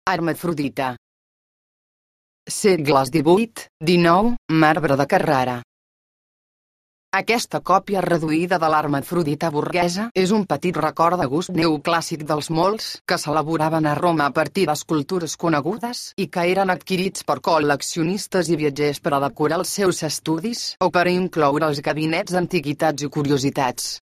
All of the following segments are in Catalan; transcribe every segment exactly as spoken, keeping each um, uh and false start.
Hermafrodita. Segles divuit dinou, marbre de Carrara. Aquesta còpia reduïda de l'hermafrodita burguesa és un petit record de gust neoclàssic dels molts que s'elaboraven a Roma a partir d'escultures conegudes i que eren adquirits per col·leccionistes i viatgers per a decorar els seus estudis o per a incloure als gabinets d'antiguitats i curiositats.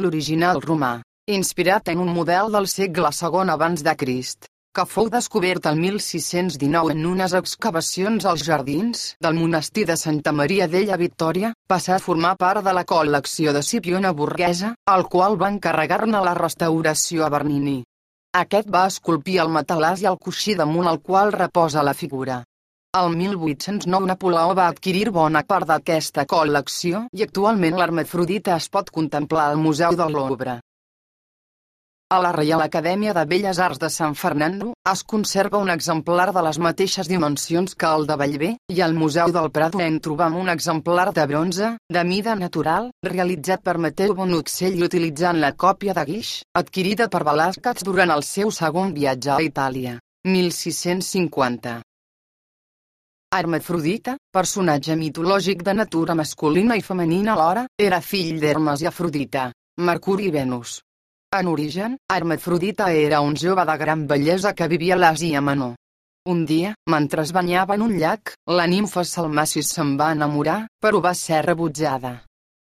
L'original romà, inspirat en un model del segle segon abans de Crist, que fou descobert el mil sis-cents dinou en unes excavacions als jardins del monestir de Santa Maria della Vittoria, passà a formar part de la col·lecció de Scipione Borghese, el qual va encarregar-ne la restauració a Bernini. Aquest va esculpir el matalàs i el coixí damunt el qual reposa la figura. El mil vuit-cents nou Napoleó va adquirir bona part d'aquesta col·lecció i actualment l'hermafrodita es pot contemplar al Museu del Louvre. A la Reial Acadèmia de Belles Arts de San Fernando es conserva un exemplar de les mateixes dimensions que el de Bellver, i al Museu del Prado en trobam un exemplar de bronze, de mida natural, realitzat per Matteo Bononcell utilitzant la còpia de guix, adquirida per Velázquez durant el seu segon viatge a Itàlia, mil sis-cents cinquanta. Hermafrodita, personatge mitològic de natura masculina i femenina alhora, era fill d'Hermes i Afrodita, Mercuri i Venus. En origen, Hermafrodita era un jove de gran bellesa que vivia a l'Àsia Menor. Un dia, mentre es banyava en un llac, la nimfa Salmacis se'n va enamorar, però va ser rebutjada.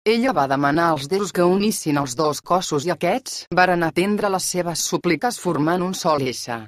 Ella va demanar als déus que unissin els dos cossos i aquests varen atendre les seves súpliques formant un sol ésser.